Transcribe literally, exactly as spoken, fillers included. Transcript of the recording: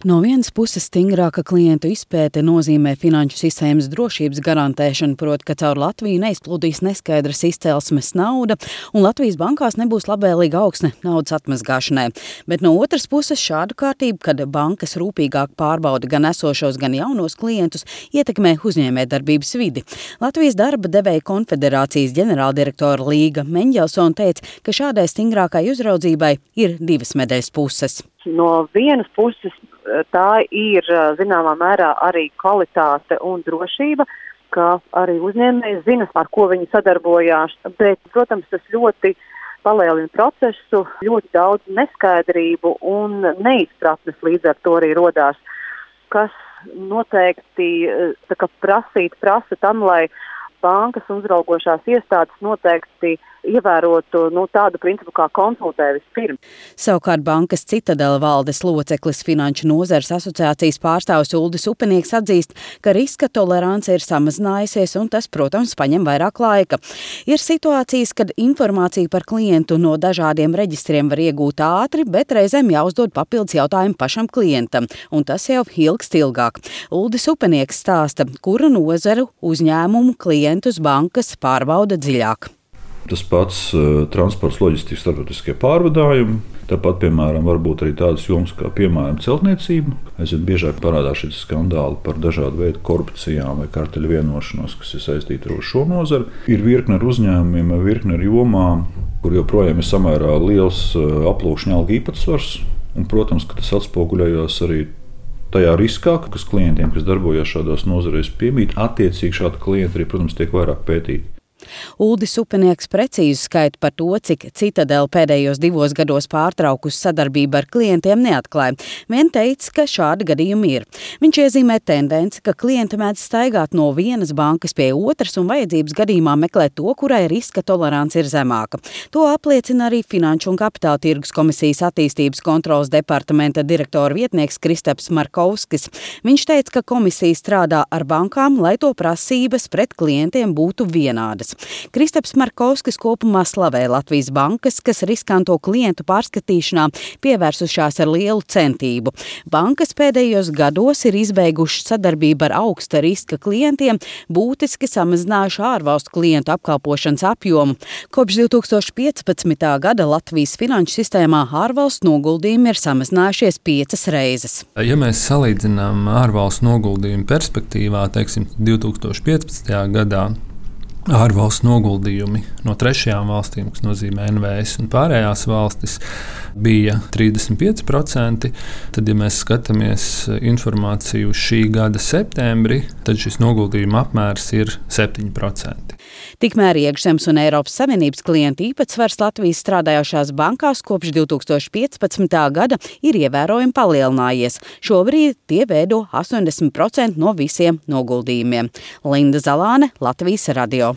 No vienas puses stingrāka klientu izpēte nozīmē finanšu sistēmas drošības garantēšanu, proti, ka caur Latviju neizplūdīs neskaidras izcelsmes nauda un Latvijas bankās nebūs labvēlīga augsne naudas atmazgāšanai. Bet no otras puses šādu kārtību, kad bankas rūpīgāk pārbauda gan esošos, gan jaunos klientus, ietekmē uzņēmējdarbības vidi. Latvijas darba devēja konfederācijas ģenerāldirektora Līga Meņģelsone teica, ka šādai stingrākai uzraudzībai ir divas medaļas puses. No vienas puses tā ir zināmā mērā arī kvalitāte un drošība, ka arī uzņēmēji zina, ar ko viņi sadarbojās, bet, protams, tas ļoti palielina procesu, ļoti daudz neskaidrību un neizpratnes līdz ar to arī rodās, kas noteikti tā kā prasīt prasa tam, lai bankas uzraugošās iestādes noteikti ievērotu nu, tādu principu kā konsultē vispirms. Savukārt bankas Citadela valdes loceklis Finanšu nozares asociācijas pārstāvis Uldis Upenieks atzīst, ka riska tolerance ir samazinājusies un tas, protams, paņem vairāk laika. Ir situācijas, kad informāciju par klientu no dažādiem reģistriem var iegūt ātri, bet reizēm jāuzdod papildus jautājumu pašam klientam, un tas jau ilgst ilgāk. Uldis Upenieks stāsta, kuru nozaru uzņēmumu klientus bankas pārbauda dziļāk. Tas pats uh, transports, loģistikas, starptautiskie pārvadājumi. Tāpat, piemēram, var būt arī tādas jomas kā, piemēram, celtniecība. Aizvien biežāk parādās šie skandāli par dažādu veidu korupcijām vai karteļu vienošanos, kas ir saistīti ar šo nozari. Ir virkne ar uzņēmumiem, virkne ar jomām, kur joprojām ir samērā liels uh, aplūkšņa algu īpatsvars. Un, protams, ka tas atspoguļojās arī tajā riskā, kas klientiem, kas darbojas šādās nozarēs, piemīt. Attiecīgi šādi klienti arī, protams, tiek vairāk pētīti. Uldis Upenieks precīzu skaitu par to, cik Citadela pēdējos divos gados pārtraukusi sadarbību ar klientiem neatklāja. Vien teica, ka šādi gadījumi ir. Viņš iezīmē tendenci, ka klienti mēdz staigāt no vienas bankas pie otras un vajadzības gadījumā meklēt to, kurai riska tolerance ir zemāka. To apliecina arī Finanšu un Kapitāla tirgus komisijas attīstības kontrolas departamenta direktora vietnieks Kristaps Markovskis. Viņš teica, ka komisija strādā ar bankām, lai to prasības pret klientiem būtu vienādas. Kristaps Markovskis kopumā slavē Latvijas bankas, kas riskanto klientu pārskatīšanā pievērsušās ar lielu centību. Bankas pēdējos gados ir izbeigušas sadarbību ar augsta riska klientiem, būtiski samazinājuši ārvalstu klientu apkalpošanas apjomu. Kopš divi tūkstoši piecpadsmitā gada Latvijas finanšu sistēmā ārvalstu noguldījumi ir samazinājušies piecas reizes. Ja mēs salīdzinām ārvalstu noguldījumu perspektīvā, teiksim, divi tūkstoši piecpadsmitajā gadā, ārvalstu noguldījumi no trešajām valstīm, kas nozīmē N V S un pārējās valstis, bija trīsdesmit pieci procenti. Tad, ja mēs skatāmies informāciju šī gada septembrī, tad šis noguldījuma apmērs ir septiņi procenti. Tikmēr iekšzemes un Eiropas Savienības klientu īpatsvars Latvijas strādājošās bankās kopš divi tūkstoši piecpadsmitā gada ir ievērojami palielinājies. Šobrīd tie veido astoņdesmit procenti no visiem noguldījumiem. Linda Zalāne, Latvijas radio.